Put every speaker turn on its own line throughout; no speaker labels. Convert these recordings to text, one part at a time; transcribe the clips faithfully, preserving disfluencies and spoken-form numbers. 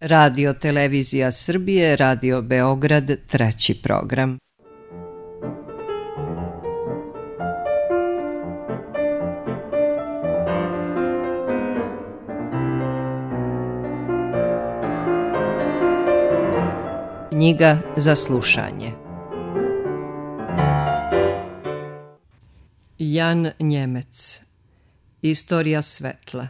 Radio Televizija Srbije, Radio Beograd, treći program. Knjiga za slušanje. Jan Njemec. Istorija svetla.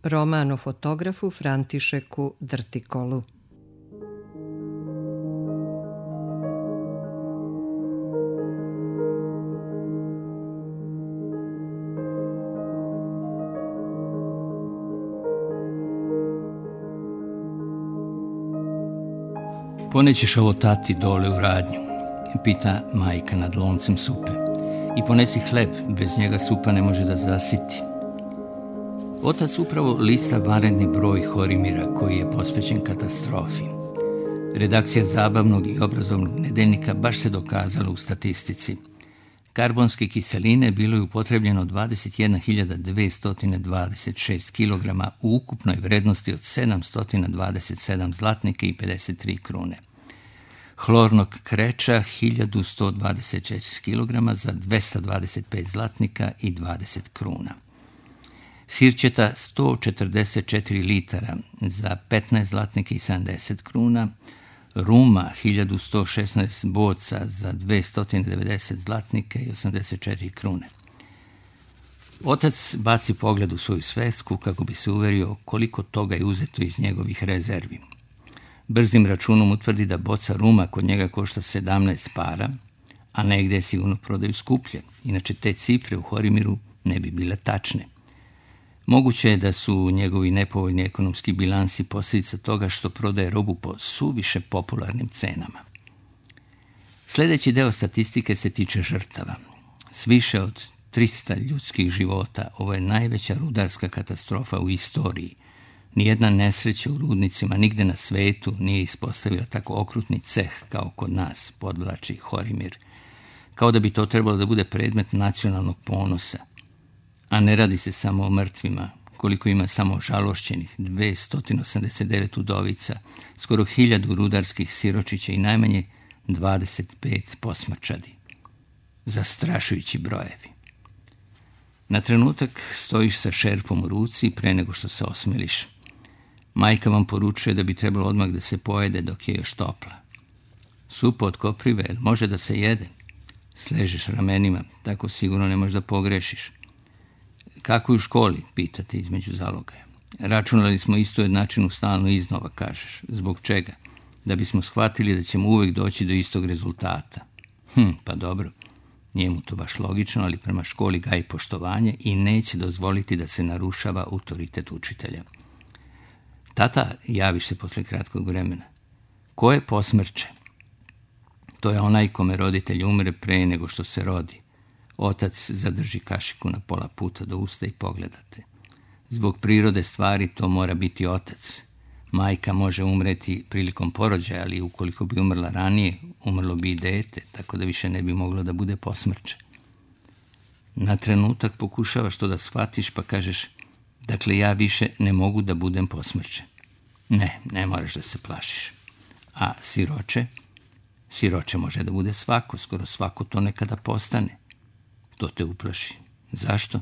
Roman o fotografu Františeku Drtikolu.
Ponećeš ovo tati dole u radnju, pita majka nad loncem supe. I ponesi hleb, bez njega supa ne može da zasiti. Otac upravo lista vanredni broj Horimira koji je posvećen katastrofi. Redakcija zabavnog i obrazovnog nedeljnika baš se dokazala u statistici. Karbonske kiseline bilo je upotrebljeno dvadeset jedna hiljada dvesta dvadeset šest kilograma u ukupnoj vrednosti od sedamsto dvadeset sedam zlatnika i pedeset tri krune. Hlornog kreča hiljadu sto dvadeset šest kilograma za dvesta dvadeset pet zlatnika i dvadeset kruna. Sirćeta sto četrdeset četiri litara za petnaest zlatnika i sedamdeset kruna, ruma hiljadu sto šesnaest boca za dvesta devedeset zlatnika i osamdeset četiri krune. Otac baci pogled u svoju svesku kako bi se uverio koliko toga je uzeto iz njegovih rezervi. Brzim računom utvrdi da boca ruma kod njega košta sedamnaest para, a negde je sigurno prodaju skuplje, inače te cifre u Horimiru ne bi bile tačne. Moguće je da su njegovi nepovoljni ekonomski bilansi posljedica toga što prodaje robu po suviše popularnim cenama. Sljedeći deo statistike se tiče žrtava. S više od trista ljudskih života ovo je najveća rudarska katastrofa u istoriji. Nijedna nesreća u rudnicima nigde na svetu nije ispostavila tako okrutni ceh kao kod nas, podvlači Horimir. Kao da bi to trebalo da bude predmet nacionalnog ponosa. A ne radi se samo o mrtvima, koliko ima samo žalošćenih, dvesta osamdeset devet udovica, skoro hiljadu rudarskih siročića i najmanje dvadeset pet posmrčadi. Zastrašujući brojevi. Na trenutak stojiš sa šerpom u ruci pre nego što se osmeliš. Majka vam poručuje da bi trebalo odmah da se pojede dok je još topla. Supa od koprive, jel može da se jede? Sležeš ramenima, tako sigurno ne možeš da pogrešiš. Kako je u školi, pitate između zalogaja. Računali smo isto jednačinu stalno iznova, kažeš. Zbog čega? Da bismo shvatili da ćemo uvijek doći do istog rezultata. Hm, pa dobro. Nije mu to baš logično, ali prema školi gaji poštovanje i neće dozvoliti da se narušava autoritet učitelja. Tata, javiš se posle kratkog vremena. Ko je posmrče? To je onaj kome roditelj umre pre nego što se rodi. Otac zadrži kašiku na pola puta do usta i pogledate. Zbog prirode stvari to mora biti otac. Majka može umreti prilikom porođaja, ali ukoliko bi umrla ranije, umrlo bi i dete, tako da više ne bi moglo da bude posmrče. Na trenutak pokušavaš to da shvatiš pa kažeš, dakle ja više ne mogu da budem posmrče. Ne, ne moraš da se plašiš. A siroče? Siroče može da bude svako, skoro svako to nekada postane. To te uplaši. Zašto?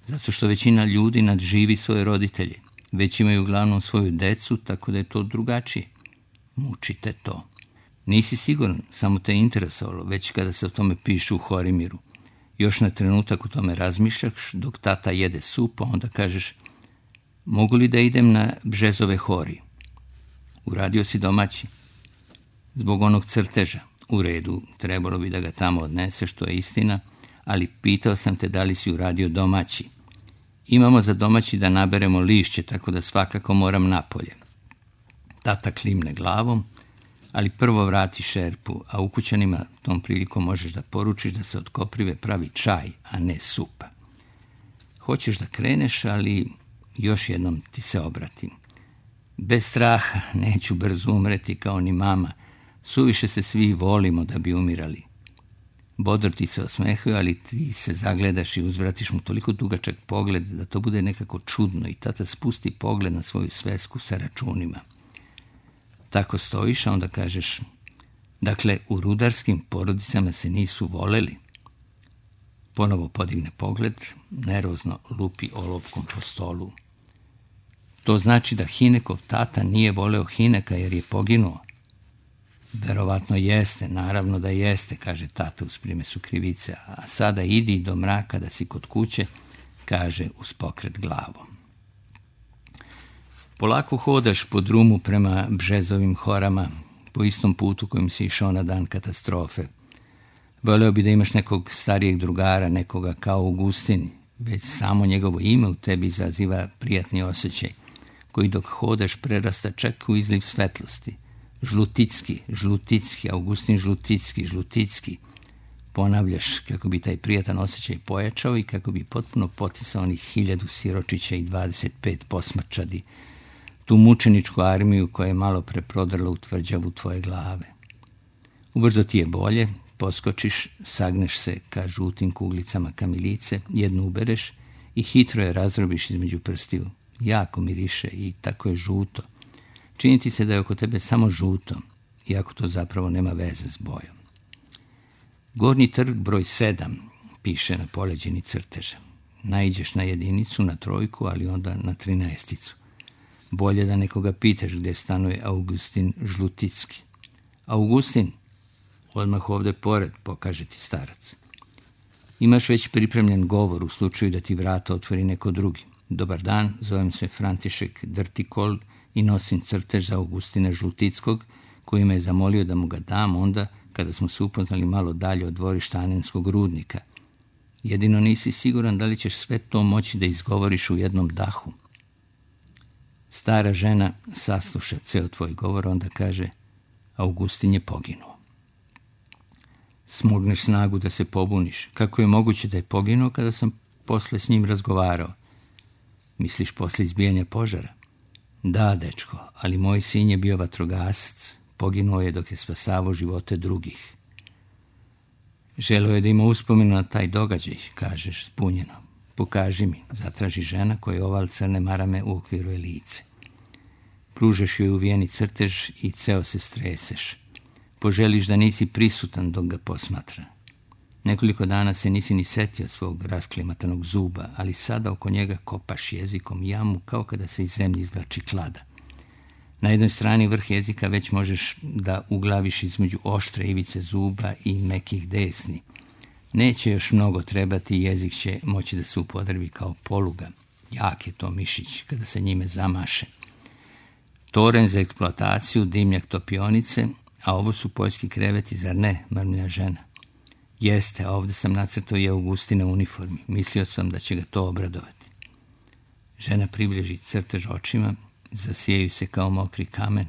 Zato što većina ljudi nadživi svoje roditelje. Već imaju uglavnom svoju decu, tako da je to drugačije. Mučite to. Nisi siguran, samo te interesovalo, već kada se o tome piše u Horimiru. Još na trenutak o tome razmišljaš, dok tata jede supu, onda kažeš, mogu li da idem na Bžezove hori? Uradio si domaći. Zbog onog crteža. U redu, trebalo bi da ga tamo odneseš, što je istina, ali pitao sam te da li si uradio domaći. Imamo za domaći da naberemo lišće, tako da svakako moram napolje. Tata klimne glavom, ali prvo vrati šerpu, a ukućanima tom prilikom možeš da poručiš da se od koprive pravi čaj, a ne supa. Hoćeš da kreneš, ali još jednom ti se obratim. Bez straha, neću brzo umreti kao ni mama, suviše se svi volimo da bi umirali. Bodor ti se osmehuje, ali ti se zagledaš i uzvratiš mu toliko dugačak pogled da to bude nekako čudno i tata spusti pogled na svoju svesku sa računima. tako stojiš, a onda kažeš, dakle, u rudarskim porodicama se nisu voleli. Ponovo podigne pogled, nervozno lupi olovkom po stolu. To znači da Hinekov tata nije voleo Hineka jer je poginuo. Verovatno jeste, naravno da jeste, kaže tata uz primesu krivice, a sada idi do mraka da si kod kuće, kaže uz pokret glavom. Polako hodaš po drumu prema Bžezovim horama, po istom putu kojim si išao na dan katastrofe. Voleo bi da imaš nekog starijeg drugara, nekoga kao Augustin, već samo njegovo ime u tebi izaziva prijatni osjećaj, koji dok hodaš prerasta čak u izliv svetlosti. Žluticki, Žluticki, Augustin Žluticki, Žluticki. Ponavljaš kako bi taj prijatan osjećaj pojačao i kako bi potpuno potisao onih hiljadu siročića i dvadeset pet posmrčadi, tu mučeničku armiju koja je malo preprodrla u tvrđavu tvoje glave. Ubrzo ti je bolje, poskočiš, sagneš se ka žutim kuglicama kamilice, jednu ubereš i hitro je razdrobiš između prstiju. Jako miriše i tako je žuto. Čini ti se da je oko tebe samo žuto, iako to zapravo nema veze s bojom. Gornji trg broj sedam, piše na poleđini crteža. Naiđeš na jedinicu, na trojku, ali onda na trinaesticu. Bolje da nekoga pitaš gdje stanuje Augustin Žluticki. Augustin, odmah ovdje pored, pokaže ti starac. Imaš već pripremljen govor u slučaju da ti vrata otvori neko drugi. Dobar dan, zovem se František Drtikol i nosim crtež za Augustina Žlutickog, koji me je zamolio da mu ga dam onda kada smo se upoznali malo dalje od dvorišta Anenskog rudnika. Jedino nisi siguran da li ćeš sve to moći da izgovoriš u jednom dahu. Stara žena sasluša ceo tvoj govor, onda kaže, Augustin je poginuo. Smogneš snagu da se pobuniš. Kako je moguće da je poginuo kada sam posle s njim razgovarao? Misliš posle izbijanja požara? Da, dečko, ali moj sin je bio vatrogasac. Poginuo je dok je spasavao živote drugih. Želeo je da ima uspomenu na taj događaj, kažeš zbunjeno. Pokaži mi, zatraži žena koja oval crne marame u okviru je lice. Pružeš joj uvijeni crtež i ceo se streseš. Poželiš da nisi prisutan dok ga posmatra. Nekoliko dana se nisi ni setio svog rasklimatanog zuba, ali sada oko njega kopaš jezikom jamu kao kada se iz zemlje izvlači klada. Na jednoj strani vrh jezika već možeš da uglaviš između oštre ivice zuba i mekih desni. Neće još mnogo trebati, jezik će moći da se upodrebi kao poluga. Jak je to mišić kada se njime zamaše. Toren za eksploataciju, dimnjak topionice, a ovo su poljski kreveti, zar ne, mrmlja žena. Jeste, a ovdje sam nacrtao i Augustina u uniformi. Mislio sam da će ga to obradovati. Žena približi crtež očima, zasijaju se kao mokri kamen.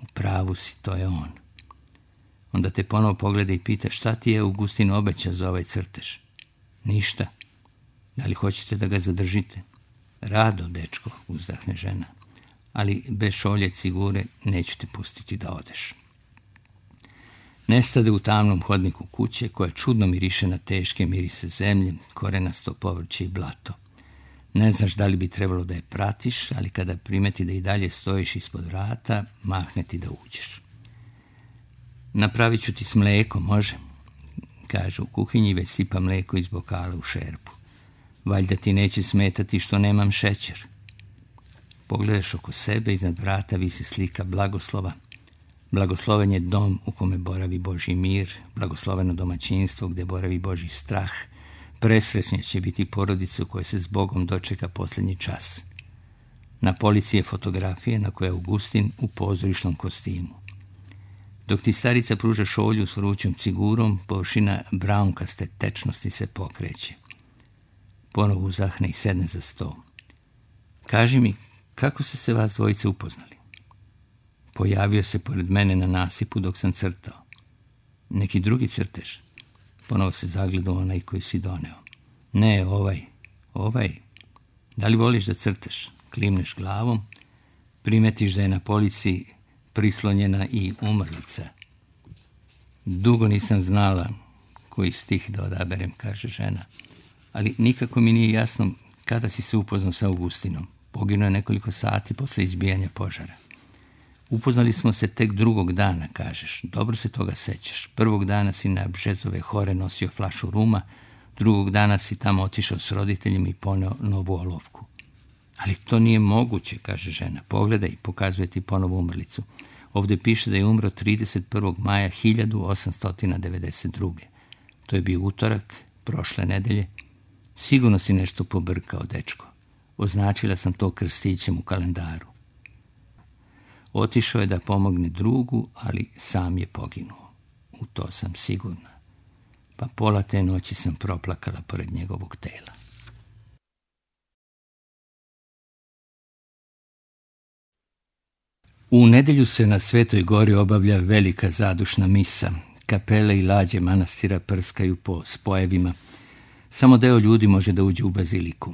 U pravu si, to je on. Onda te ponovo pogleda i pita, šta ti je Augustin obećao za ovaj crtež? Ništa. Da li hoćete da ga zadržite? Rado, dečko, uzdahne žena. Ali bez šolje cigure neću te pustiti da odeš. Nestade u tamnom hodniku kuće, koja čudno miriše na teške mirise zemlje, korenasto povrće i blato. Ne znaš da li bi trebalo da je pratiš, ali kada primeti da i dalje stojiš ispod vrata, mahne ti da uđeš. Napravit ću ti s mlekom, može? Kaže u kuhinji i već sipa mleko iz bokala u šerpu. Valjda ti neće smetati što nemam šećer. Pogledaš oko sebe, iznad vrata visi slika blagoslova. Blagosloven je dom u kome boravi Božji mir, blagosloveno domaćinstvo gdje boravi Božji strah. Presrećnja će biti porodica u kojoj se s Bogom dočeka posljednji čas. Na polici je fotografije na kojoj je Augustin u pozorišnom kostimu. Dok ti starica pruža šolju s vrućom cigurom, površina braunkaste tečnosti se pokreće. Ponovo uzahne i sedne za sto. Kaži mi, kako ste se vas dvojice upoznali? Pojavio se pored mene na nasipu dok sam crtao. Neki drugi crtež? Ponovo se zagledao onaj koji si doneo. Ne, ovaj, ovaj. Da li voliš da crtaš? Klimneš glavom, primetiš da je na polici prislonjena i umrlica. Dugo nisam znala koji stih da odaberem, kaže žena, ali nikako mi nije jasno kada si se upoznao sa Augustinom. Poginuo je nekoliko sati posle izbijanja požara. Upoznali smo se tek drugog dana, kažeš. Dobro se toga sećaš. Prvog dana si na Bžezove hore nosio flašu ruma, drugog dana si tamo otišao s roditeljima i poneo novu olovku. Ali to nije moguće, kaže žena. Pogledaj i pokazuje ti ponovo umrlicu. Ovdje piše da je umro trideset prvog maja hiljadu osamsto devedeset druge. To je bio utorak, prošle nedelje. Sigurno si nešto pobrkao, dečko. Označila sam to krstićem u kalendaru. Otišao je da pomogne drugu, ali sam je poginuo. U to sam sigurna. Pa pola te noći sam proplakala pored njegovog tela. U nedjelju se na Svetoj gori obavlja velika zadušna misa. Kapele i lađe manastira prskaju po spojevima. Samo deo ljudi može da uđe u baziliku.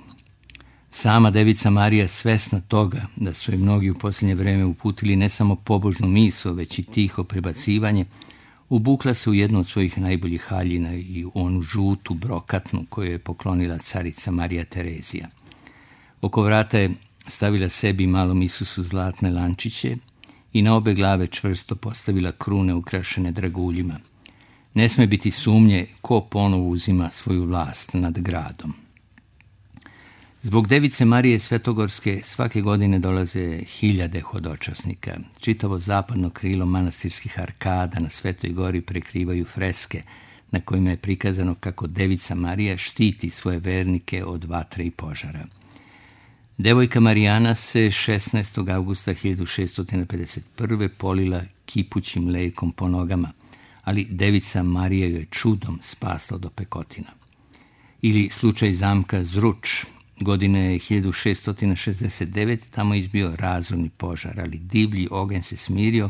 Sama Devica Marija, svesna toga da su je mnogi u posljednje vrijeme uputili ne samo pobožnu misu, već i tiho prebacivanje, ubukla se u jednu od svojih najboljih haljina i u onu žutu brokatnu koju je poklonila carica Marija Terezija. Oko vrata je stavila sebi i malom Isusu zlatne lančiće i na obe glave čvrsto postavila krune ukrašene draguljima. Ne sme biti sumnje ko ponovo uzima svoju vlast nad gradom. Zbog Device Marije Svetogorske svake godine dolaze hiljade hodočasnika. Čitavo zapadno krilo manastirskih arkada na Svetoj gori prekrivaju freske na kojima je prikazano kako Devica Marija štiti svoje vernike od vatre i požara. Devojka Marijana se šesnaestog avgusta hiljadu šeststo pedeset prve polila kipućim mlekom po nogama, ali Devica Marija joj je čudom spasla do pekotina. Ili slučaj zamka Zruč. Godine hiljadu šeststo šezdeset devete tamo je izbio razorni požar, ali divlji oganj se smirio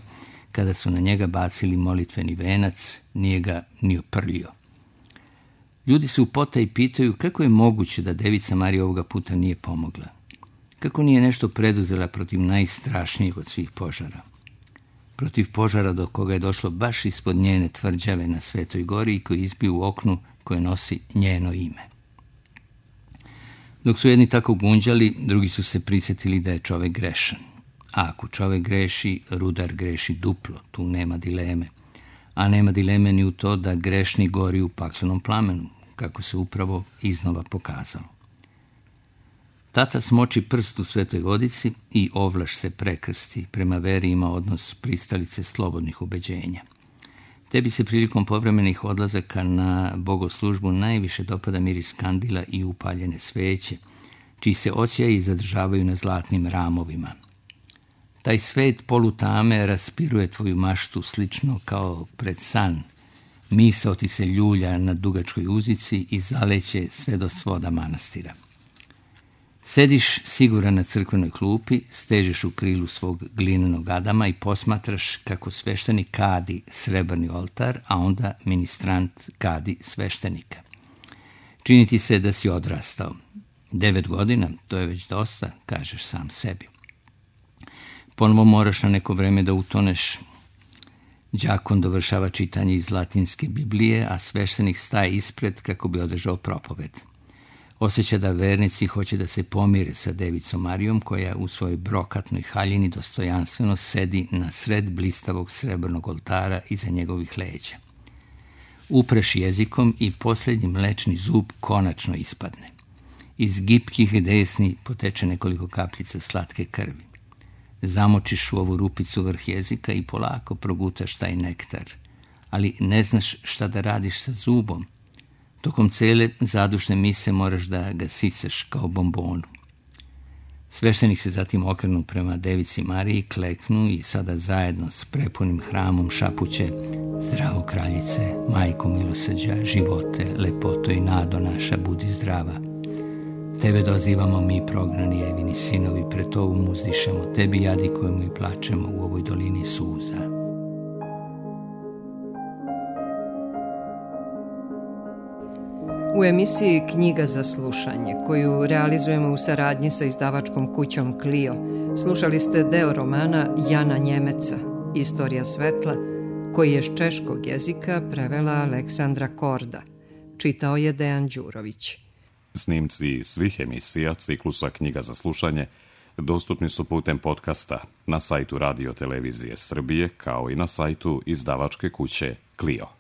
kada su na njega bacili molitveni venac, nije ga ni oprljio. Ljudi se u potaji pitaju kako je moguće da Devica Marija ovoga puta nije pomogla. Kako nije nešto preduzela protiv najstrašnijeg od svih požara? Protiv požara do koga je došlo baš ispod njene tvrđave na Svetoj gori i koji izbio u oknu koje nosi njeno ime. Dok su jedni tako gunđali, drugi su se prisjetili da je čovjek grešan. A ako čovjek greši, rudar greši duplo, tu nema dileme. A nema dileme ni u to da grešni gori u paklenom plamenu, kako se upravo iznova pokazalo. Tata smoči prst u Svetoj vodici i ovlaš se prekrsti. Prema veri ima odnos pristalice slobodnih ubeđenja. Tebi se prilikom povremenih odlazaka na bogoslužbu najviše dopada miris kandila i upaljene sveće, čiji se osjaji zadržavaju na zlatnim ramovima. Taj svet polutame raspiruje tvoju maštu slično kao pred san. Misao ti se ljulja na dugačkoj uzici i zaleće sve do svoda manastira. Sediš siguran na crkvenoj klupi, stežeš u krilu svog glinenog Adama i posmatraš kako sveštenik kadi srebrni oltar, a onda ministrant kadi sveštenika. Čini ti se da si odrastao. Devet godina, to je već dosta, kažeš sam sebi. Ponovo moraš na neko vreme da utoneš. Đakon dovršava čitanje iz latinske Biblije, a sveštenik staje ispred kako bi održao propoved. Osjeća da vernici hoće da se pomire sa Devicom Marijom, koja u svojoj brokatnoj haljini dostojanstveno sedi na sred blistavog srebrnog oltara iza njegovih leđa. Upreš jezikom i posljednji mlečni zub konačno ispadne. Iz gipkih desni poteče nekoliko kapljica slatke krvi. Zamočiš u ovu rupicu vrh jezika i polako progutaš taj nektar, ali ne znaš šta da radiš sa zubom. Tokom cele zadušne mise moraš da ga sisaš kao bombonu. Sveštenik se zatim okrenu prema Devici Mariji, kleknu i sada zajedno s prepunim hramom šapuće: Zdravo kraljice, majko milosrđa, živote, lepoto i nado naša, budi zdrava. Tebe dozivamo mi, prognani Evini sinovi, pred tobom uzdišemo, tebi jadikujemo i plačemo u ovoj dolini suza.
U emisiji Knjiga za slušanje, koju realizujemo u saradnji sa izdavačkom kućom Clio, slušali ste deo romana Jana Njemeca, Istorija svetla, koji je s češkog jezika prevela Aleksandra Korda. Čitao je Dejan Đurović.
Snimci svih emisija ciklusa Knjiga za slušanje dostupni su putem podcasta na sajtu Radio Televizije Srbije, kao i na sajtu izdavačke kuće Clio.